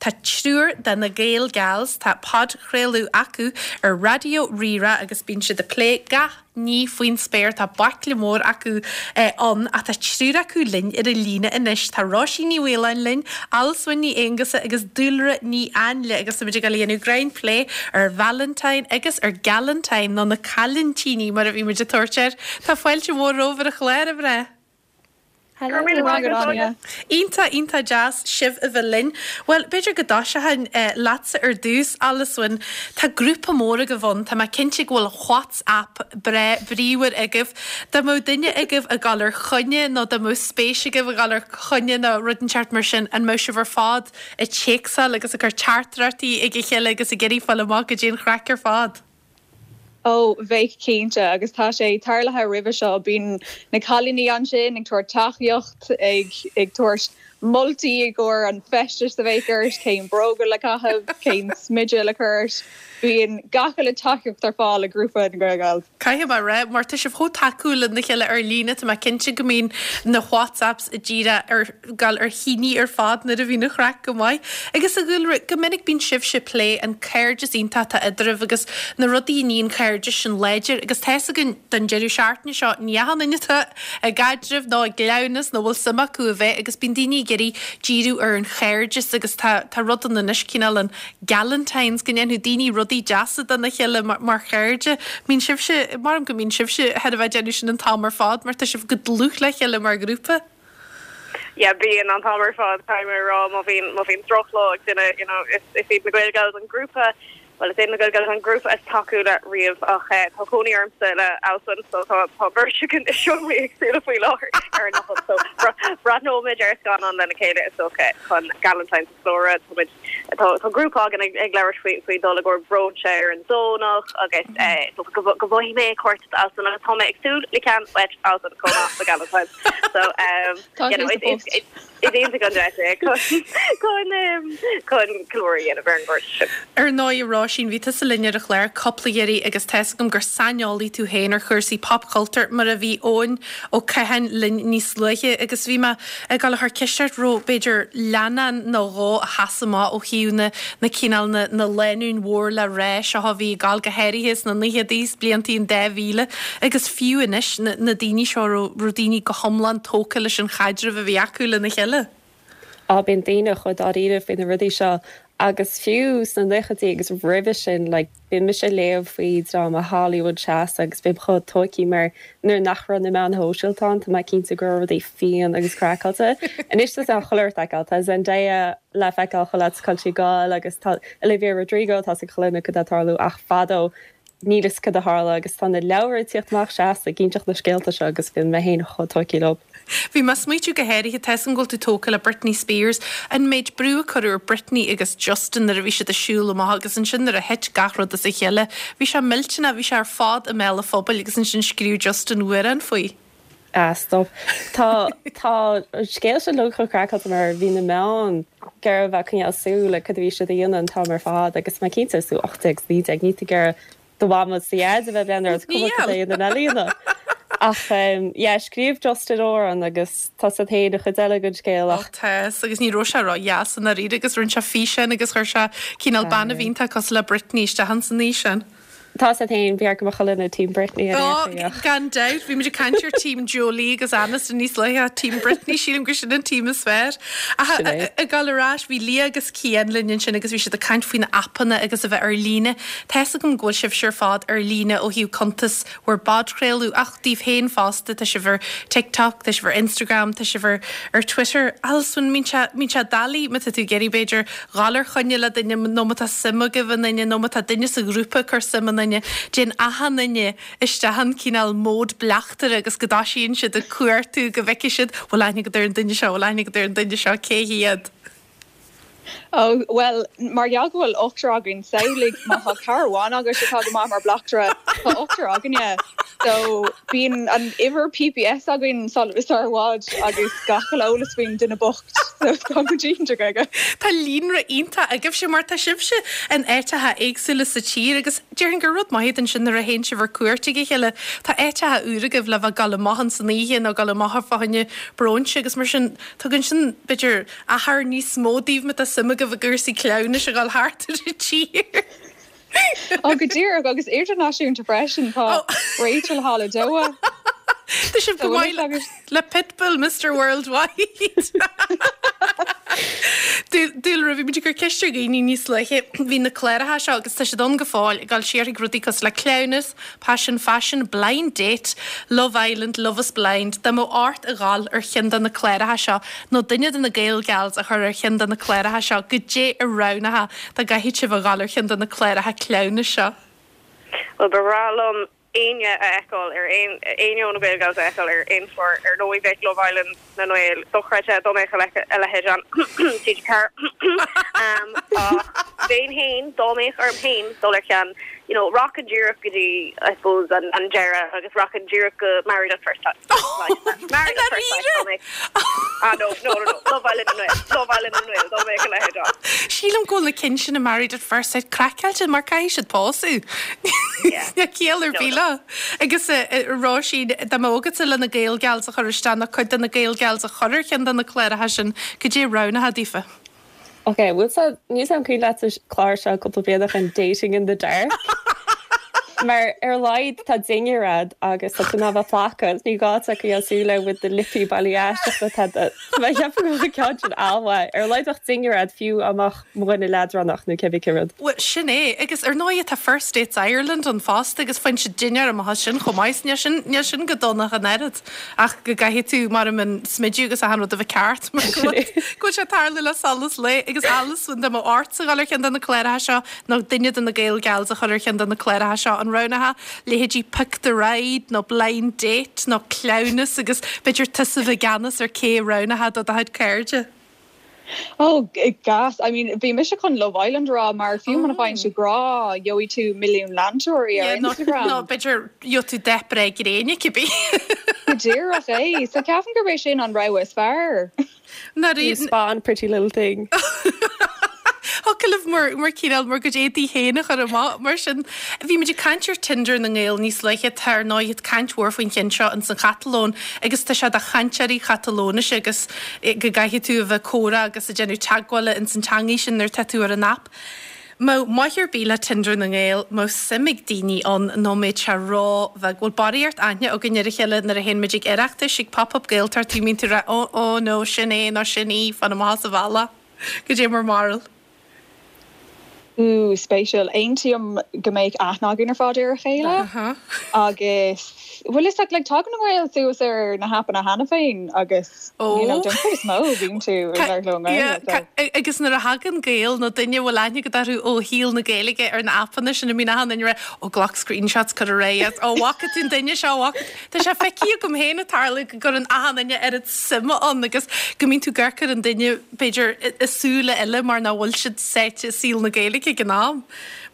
Tá triúr de na Gael Gals, tá podchraoladh acu ar Raidió Rí-Rá agus bíonn siad ag plé gach ní faoin spéir. Tá baicle mór acu ann ach tá triúr acu linn ar an líne anois. Tá Róisín Ní Mhaoláin linn, Alswyn Ní Aonghusa agus Dúlra Ní Áinle agus táimid ag dul a dhéanamh greim plé ar Valentine agus ar Galentine nó na Cailintíní mar a bhí muid ag tabhairt air. Tá fáilte mhór romhaibh ar an chlár, a mhná. Go raibh míle maith agat, Áine. Iontach, iontach deas sibh a bheith linn. Bhuel, b'fhéidir go dtoiseochainn leatsa ar dtús, Alswyn. Tá grúpa mór agaibh ann, tá mé cinnte go bhfuil WhatsApp breá bríomhar agaibh. Dá mbeadh duine agaibh ag dul ar choinne nó dá mbeadh spéis agaibh a dhul ar choinne nó rud inteacht mar sin, an mbeadh sibh ar fad ag téacsáil agus ag cur teachtaireachtaí ag a chéile agus ag iarraidh fáil amach goidé an chraic ar fad? Ó, bheadh cinnte, agus tá sé tarlaithe roimhe seo, bíonn na cailíní ansin ag tabhairt tacaíocht, ag ag tabhairt moltaí i gcomhair an feistis a bheadh ort, cén bróga le caitheamh, cén smideadh le cur ort, bíonn gach uile tacaíocht ar fáil i grúpa na Gael Gals. Caithfidh mé a rá, mar tá sibh chomh tacúil lena chéile ar líne, tá mé cinnte go mbíonn na WhatsApps díreach ar gabháil ar thine ar fad nuair a bhíonn an chraic go maith. Agus a Dhúlra, go minic bíonn sibhse ag plé an cairdeas iontach atá eadraibh agus na rudaí a níonn cairdeas sin láidir agus tá fhios againn don deireadh seachtaine seo ní achan duine atá i gcaidreamh nó i gcleamhnas nó bhfuil suim acu a bheith agus bíonn daoine ag iarraidh díriú ar an chairdeas agus tá tá rud ann anois cineál an Galentines go ndéanfadh daoine rudaí deasa dona chéile mar chairde. Mbíonn sibhse, maram go mbíonn sibhse thar a bheith ag déanamh sin an t-am ar fad mar tá sibh go dlúth le chéile mar ghrúpa. Yeah, bíonn an t-am ar fad, caithfidh mé a rá, má bhíonn, má bhíonn drochlá ag duine, you know, is, is iad na Gael Gals an grúpa, bhuel, is iad na Gael Gals an grúpa is tacúla riamh ach eh, tá cónaí ormsa le Alswyn so tá, tá beirt againn i seomraí éagsúla faoi láthair ar an fhocal so breathnóimid ar scannán lena chéile is dócha chun Galentine's a cheiliúradh. Tá muid, tá, tá grúpa againn ag, ag labhairt faoi, faoi dul i gcomhair bróinse ar an Domhnach agus eh, is dócha go, go bhfaighidh mé cárta d'Alswyn agus tá mé ag súil le ceann uait Alswyn chomh maith do Galentine's. So um, Tá you know, sé sa is, phost. is, is iontach an deis é chun, chun, um, chun ceiliúradh a dhéanamh ar an gcairdeas sin. Ar ndóigh, a Róisín, bhí tusa linn ar an chlár cúpla iarraidh agus tá 'fhios agam gur saineolaí tú féin ar chúrsaí popchultúir, mar a bhí Eoin Ó Catháin linn níos luaithe agus bhí mé ag dul a chur ceist ort raibh b'fhéidir leannán nó dhó a sheas amach ó thaobh na na cineál na na lánúin mhór le rá seo a bhí ag gabháil go háirithe sna naochadaí is bliantaí an 2000 agus fiú anois na na daoine seo raibh raibh daoine go hiomlán tógtha leis an chaidreamh a bhí acu lena chéile. Á, bíonn daoine chomh dáiríre faoi na rudaí seo agus fiú sna naochaidí agus roimhe sin, like, bíonn mise ag léamh faoi dráma Hollywood seasta agus bím chomh tóigthe mar nuair nach raibh na meáin shóisialta ann, tá mé cinnte go raibh rudaí fiáin agus craiceáilte. Anois tá chuile rud le feiceáil, tá Zendaya le feiceáil chuile áit cá bhfuil sí ag gabháil agus tá Olivia Rodrigo, tá 'fhios ag chuile dhuine cad tá ag tarlú ach fadó níl 'fhios cad a tharla agus tá na leabhair ag tíocht amach seasta ag inseacht na scéalta seo agus bíonn mé féin chomh tóigthe leo. Bhí mé ag smaoitiú go háirithe, tá 'fhios agam go bhfuil tú tógtha le Britney Spears, an méid brú a cuireadh ar Britney agus Justin nuair a bhí siad ag siúl amach agus ansin nuair a thit gach rud as a chéile, bhí sé millteanach, bhí sé ar fad i mbéal an phobail agus ansin scríobh Justin amhrán faoi. Ah stop. Tá, tá an scéal sin uilig chomh craiceáilte mar bhí na meáin ag iarraidh a bheith ag coinneáil súil ar cad a bhí siad a dhéanamh an t-am ar fad agus mé cinnte is tú 18 is 19 níl tú ag iarraidh do mham is do dhaid a bheith ag breathnú ort cuma cad é a dhéanann. Ach yeah, scríobh Justin amhrán agus tá 'fhios agat féin an chuid eile den scéal ach. Ó tá, agus ní raibh sé ró-dheas i ndáiríre agus rinne sé físeán agus chuir sé cineál bean a bhí iontach cosúil le Britney isteach ins an fhíseán. Tá 'fhios agat féin, b'fhearr go mbeadh chuile dhuine Team Britney ar aon chaoi ach. Gan dabht, bhí muid ag caint ar Team Jolie agus Aniston níos luaithe ach Team Britney, sílim gur sin an team is fearr. Ach Sin é. ag dul ar ais, bhí Leah agus Cian linn ansin agus bhí siad ag caint faoi na aipeanna agus a bheith ar líne. Tá 'fhios agam go bhfuil sibhse ar fad ar líne ó thaobh cuntas bhur bpodchraoladh ach daoibh féin fosta, tá sibh ar TikTok, tá sibh ar Instagram, tá sibh ar ar Twitter. Alswyn, mbíonn sé, mbíonn sé doiligh má tá tú ag iarraidh b'fhéidir dhul ar choinne le duine nó má tá suim agaibh i nduine nó má tá duine sa ghrúpa ag cur suim i nduine, téann achan duine isteach in cineál mode bleachtaire agus go dtoisíonn siad ag cuartú go bhfeicfidh siad bhfuil aithne agat ar an duine seo, bhfuil aithne agat ar an duine seo, cé hiad? Ó, bhuel, mar gheall go bhfuil ochtar againn, samhlaigh má tá cara amháin agat atá go maith mar bleachtaire, tá ochtar againne. So bíonn an uimhir PPS againn sar i bhfad agus gach uile eolas faoin duine bocht. So tá muid iontach aige. Tá líonra iontach agaibhse mar tá sibhse in áiteacha éagsúla sa tír agus déarfainn gur rud maith ansin nuair a théann sibh ar cuairt ag a chéile. Tá áiteacha úra agaibh le bheith ag dul amach ins an oíche nó dul amach fá choinne bróinse agus mar sin tugann sin b'fhéidir achar níos mó daoibh má tá suim agaibh i gcúrsaí cleamhnais a dhul thart ar an tír. Ó, go díreach, agus idirnáisiúnta freisin, tá Rachel thall i Doha. Tá sibh go maith le Pitbull, Mister Worldwide. Dúlra, bhí muid ag cur ceist ar dhaoine níos luaithe, bhí na cláracha seo, agus tá siad ann go fóill, ag dul siar chuig rudaí cosúil le Cleamhnas, Paisean Faisean, Blind Date, Love Island, Love is Blind, dá mbeadh ort a dhul ar cheann de na cláracha seo, nó duine de na Gael Gals a chur ar cheann de na cláracha seo, goidé a roghnófá dá gcaithfeadh sibh a dhul ar cheann de na cláracha cleamhnais seo? Bhuel, ba bhreá liom éinne a fheiceáil ar aon, éinne ó na Gael Gals a fheiceáil ar aon chlár. Ar ndóigh, bheadh Love Island na nGael dochreidte dá mbeadh a leithéid ann. TG4. Ach bheinn féin, dá mbeadh orm féin dul ar cheann, you know, rachainn díreach go dtí, I suppose, an, an deireadh agus rachainn díreach go Married at First Sight. Married at First Sight, dá mbeadh. Ah, no, no, no, no, Love Island na nGael, Love Island na nGael, dá mbeadh a leithéid ann. Sílim go bhfuil na cinn sin i Married at First Sight craiceáilte mar caithfidh siad pósadh. Níl ciall ar bith leo. Agus a Róisín, dá mbeadh agatsa le na Gael Gals a chur isteach nó cuid de na Gael Gals a chur ar cheann de na cláracha sin, goidé a roghnófá daofa? Ok, bhfuil sa, níl 's a'm cuimhin leat an clár seo cúpla bliain ó shin Dating in the Dark? Mar ar a laghad tá dinnéar a'd agus tá tú in ann bheith ag placadh, ní gá duit coinneáil súil air with the lippy bailí aisteach le tada. So mé ag ceapadh go bhfuil an ceann sin an-mhaith. Ar a laghad bheadh dinnéar a'd fiú dá mbeadh mo dhuine leadránach nó cébí cén rud. Bhuel, sin é. Agus ar ndóigh tá First Dates Ireland ann fosta agus faigheann siad dinnéar amach as sin chomh maith. So níl sin, níl sin go dona ach an oiread. Ach go gcaithfidh tú mar an smideadh agus achan rud a bheith ceart mar go bhfuil go bhfuil sé ag tarlú le solas lae. Agus Alison, dá mbeadh ortsa dhul ar cheann de na cláracha seo nó duine de na Gael Gals a chur ar cheann de na cláracha seo, an roghnófá leithéidí Pick the Ride nó Blind Date nó Cleamhnas agus b'fhéidir tusa a bheith i gceannas ar cé a roghnófá do do chuid cairde? Oh gas, I mean bhí mise chun Love Island a rá mar fiú muna bhfaigheann tú grá gheobhaidh tú milliún leantóirí ar Instagram. Nó b'fhéidir gheobhaidh tú dath breá gréine cibé. Go díreach é. So ceapaim gurb é sin an rogha is fearr. You spawn pretty little thing. Thiocfadh libh bhur, bhur cineál bhur gcuid éadaí féin a chur amach mar sin. Bhí muid ag caint ar Tinder na nGael níos luaithe, tá ar ndóigh caint mhór faoin cheann seo ins an Chatalóin agus tá sé do chainteoirí Chatalóinise agus go gcaithfidh tú a bheith ag comhrá agus ag déanamh teagmhála ins an teangaidh sin nuair atá tú ar an aip. Mbeadh maith ar bith le Tinder na nGael, mbeadh suim ag daoine ann nó mbeadh sé ró-bheag. Bhfuil barraíocht aithne againn ar a chéile nuair a théann muid ag Oireachtais, ag Pop Up Gaeltacht, bíonn tú ag rá oh oh no, sin é nó sin í, fan amach as an bhealach. Goidé bhur mbarúil. Ooh, spéisiúil. Aontaím go mbeadh aithne againn ar fad ar a chéile agus bhfuil fhios agat, like, tagann na Gaeil suas ar na haipeanna cheana féin agus you know, den chuid is mó bíonn tú ag labhairt leo i nGaeilge. So. Agus nuair a thagann Gael nó duine a bhfuil aithne agat orthu ó shaol na Gaeilge ar na aipeanna sin, bíonn achan duine ag rá, ó glac screenshots, cuir ar aghaidh, ó bhfaca tú an duine seo, bhfaca tú. Tá sé feicthe agam féin ag tarlú go gcuireann achan duine oiread suime ann agus go mbíonn tú ag amharc ar an duine, b'fhéidir, i súile eile mar nach bhfuil siad sáite i saol na Gaeilge ag an am.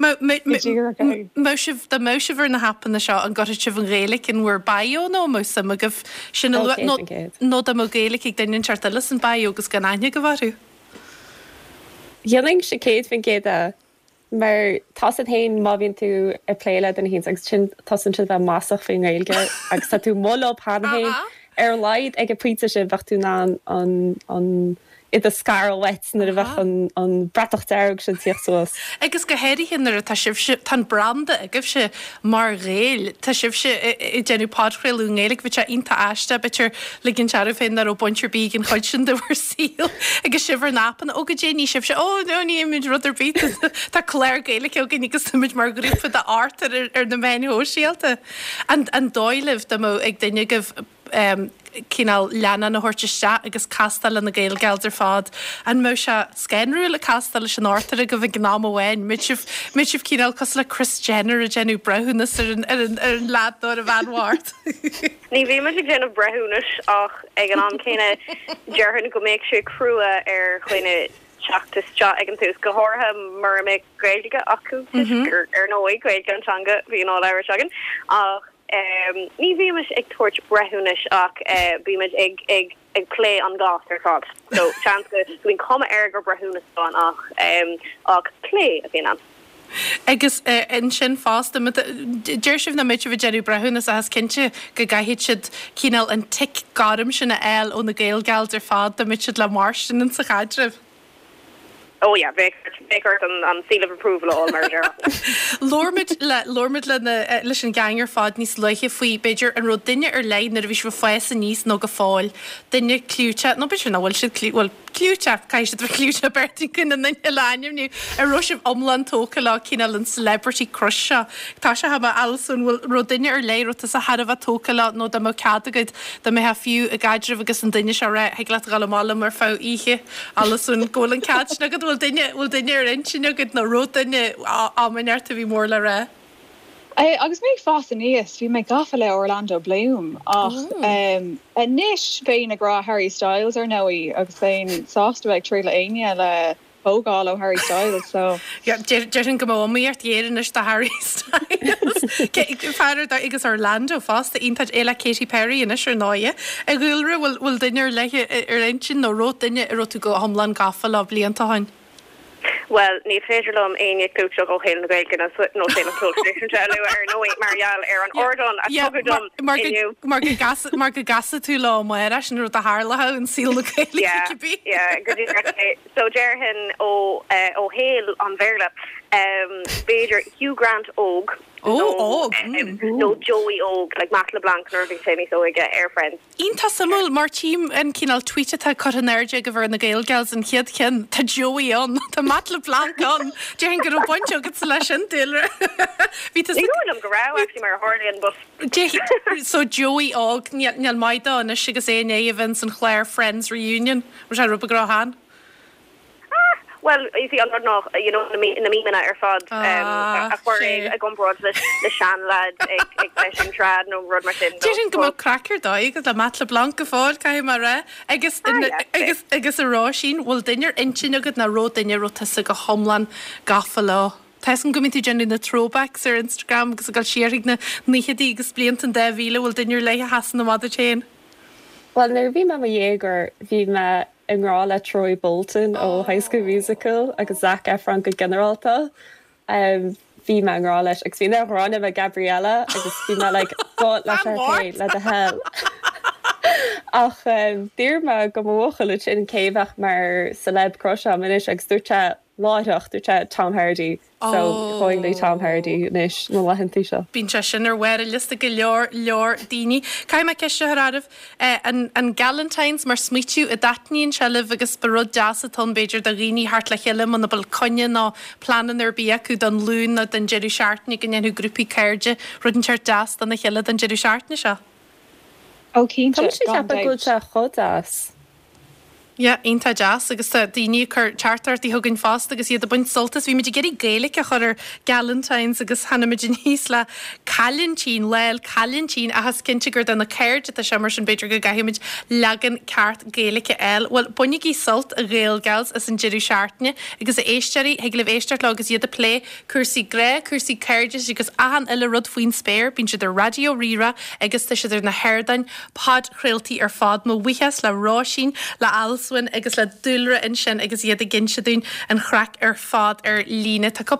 Mbeadh sibh, dá mbeadh sibh ar na haipeanna seo, an gcuirfeadh sibh an Ghaeilge in bhur bio nó an mbeadh suim agaibh sin a lua nó dá mbeadh Gaeilge ag duine inteacht eile san bio agus gan aithne agaibh orthu? Dhéanfainnse 100% é. Mar tá's agat féin má bhíonn tú ag plé le duine éicint agus ansin tosaíonn siad a bheith masach faoin nGaeilge agus tá tú amuigh leo cheana féin, ar a laghad ag an bpointe sin bheadh tú in ann an, an, iad a scaradh uait nuair a bheadh an, an bratach dearg sin ag tíocht suas. Agus go háirithe nuair atá sibhse, tá an branda agaibhse mar Ghaeil, tá sibhse ag déanamh podchraoladh i nGaeilge, bheadh sé iontach aisteach, b'fhéidir, ligint oraibh féin nach raibh baint ar bith ag an chuid sin de bhur saol agus sibh ar na haipeanna. Ó, goidé ní sibhse, ó, no, ní dhéanaimid rud ar bith, tá clár Gaeilge againn agus táimid mar ghrúpa d'ochtar ar na meáin shóisialta. An dóigh libh dá mbeadh ag duine agaibh cineál leannán a thabhairt isteach agus castáil le na Gael Gals ar fad, an mbeadh sé scanrúil ag castáil leis an ochtar agaibh ag an am amháin? Mbeadh sibh, mbeadh sibh cineál cosúil le Kris Jenner ag déanamh breithiúnas ar an, ar an, ar an leaid nó ar an bhean bhocht? Ní bhímid ag déanamh breithiúnais ach ag an am céanna déarfainn go mbeadh sé crua ar dhuine teacht isteach ag an tús, go háirithe mura mbeadh Gaeilge acu toisc gur, ar ndóigh, Gaeilge an teanga a bhíonn á labhairt againn. Ach. ní bhímis ag tabhairt breithiúnais ach bímid ag ag ag plé an gcás ar fad. So seans go mbíonn cuma air gur breithiúnas atá ann ach ach plé a bhíonn ann. Agus ansin fosta, deir sibh nach mbeidh sibh ag déanamh breithiúnas ach is cinnte go gcaithfidh siad cineál an tic gorm sin a fháil ó na Gaelgals ar fad dá mbeadh siad le mairstin insa chaidreamh. Oh yeah, bheadh, bheadh ort an seal of approval a fháil mar a déarfá. Labhair muid le, labhair muid le na, leis an gang ar fad níos luaithe faoi, b'fhéidir, an raibh duine ar leith nuair a bhí sibh ag fás aníos nó go fóill, duine clúiteach, nó b'fhéidir nach bhfuil siad clú, bhuel, clúiteach, caithfidh siad a bheith clúiteach beirt againn an duine le ainmniú, an raibh sibh iomlán tógtha leo, cineál an celebrity crush seo. Tá sé thar Alison, bhfuil, raibh duine ar leith, raibh tusa thar a bheith tógtha leo nó dá mbeadh cead agat, dá mbeifeá fiú i gcaidreamh agus an duine seo ag rá, thig leat a dhul amach liom ar feadh oíche, Alison, go bhfuil an cead sin agat, bhfuil duine, bhfuil duine ar intinn agat nó raibh duine am inteacht a bhí mór le rá? Agus mé ag fás aníos, bhí mé gafa le Orlando Bloom ach anois bheinn ag rá Harry Styles ar ndóigh agus bheinn sásta bheith ag troid le éinne le tógáil ó Harry Styles so. Déarfainn go mbeadh iomaíocht ghéar anois do Harry Styles. Fear ar dóigh agus Orlando fosta, iontach é le Katy Perry anois ar ndóigh. A Dhúlra, bhfuil duine ar leith ar intinn nó raibh duine a raibh tú go hiomlán gafa leo blianta ó shin? Bhuel, ní féidir liom éinne clúiteach ó shaol na Gaeilge nó saol an cheoil traidisiúnta a lua ar ndóigh mar gheall ar an ardán a tugadh dom inniu. Mar go gcasfaidh tú leo amárach, sin rud a tharlódh in saol na Gaeilge cibé. Yeah, yeah, go díreach é. So déarfainn ó ó shaol an Bhéarla, b'fhéidir Hugh Grant óg nó nó Joey óg, like Matt LeBlanc nuair a bhí sé níos óige ar Friends. Iontach suimiúil, mar tchím an cineál tweet atá curtha in airde agaibh ar na Gaelgals, an chéad cheann, tá Joey ann, tá Matt LeBlanc ann, déarfainn go raibh baint agatsa leis sin, Dúlra. Bhí tusa. Ní dóigh liom go raibh, actually, mar a tharlaíonn, but. So Joey óg, níl maith dó anois agus é i ndiaidh a bheith ins an chlár Friends Reunion, raibh sé rud beag róshean. Ah! Bhuel, you see, an rud ná, you know, na memeanna ar fad a chuir é i gcomparáid le seanleaid ag seisean trad nó rud mar sin. Déarfainn go mbeadh craic ar dóigh agat le Matt LeBlanc go fóill, caithfidh mé a rá. Agus, agus, agus a Róisín, bhfuil duine ar intinn agat nó raibh duine a raibh tusa go hiomlán gafa leo? Tá 'fhios agam go mbíonn tú ag déanamh na throwbacks ar Instagram agus ag dul siar chuig na naochadaí agus blianta an 2000, bhfuil duine ar leith a sheasann amach duit féin? Bhuel, nuair a bhí mé i mo dhéagóir, bhí mé i ngrá le Troy Bolton ó High School Musical agus Zac Efron go ginearálta. Bhí mé i ngrá leis agus bhí mé i ngrá le Gabriella agus bhí mé like gabh le Sharpay le do thoil. Ach d'iarr mé go mo bhuachaill ansin cé a bheadh mar celeb crush agam anois agus dúirt sé láithreach, dúirt sé Tom Hardy. So, going le Tom Hardy anois na laethantaí seo. Bíonn sé sin ar bharr an liosta go leor, leor daoine. Caithfidh mé ceist a chur oraibh, an, an Galentine's mar smaoitiú, an dtaitníonn sé libh agus ba rud deas atá ann b'fhéidir do dhaoine theacht le chéile muna bhfuil coinne nó pleananna ar bith acu don Luan nó don deireadh seachtaine go ndéanfadh grúpaí cairde rud inteacht deas dona chéile don deireadh seachtaine seo. Ó cinnte, Tá mise ag gan ceapadh go bhfuil dabht. sé chomh deas. Yeah, iontach deas agus tá daoine ag cur teachtaireachtaí chugainn fosta agus iad ag baint sult as. Bhí muid ag iarraidh Gaeilge a chur ar Galentine's agus tháinig muid aníos le Cailintín, Lá 'le Cailintín ach is cinnte gur do na cairde atá sé mar sin b'fhéidir go gcaithfidh muid leagan ceart Gaeilge a fháil. Bhuel, bainigí sult, a Ghaelgals, as an deireadh seachtaine agus a éisteoirí, thig libh éisteacht leo agus iad ag plé cúrsaí grá, cúrsaí cairdis agus achan uile rud faoin spéir. Bíonn siad ar Raidió Rí-Rá agus tá siad ar na hardáin podchraoltaí ar fad. Mo bhuíochas le Róisín, le Alswyn agus le Dúlra ansin agus iad ag inse dúinn an chraic ar fad ar líne. Tá cúpla.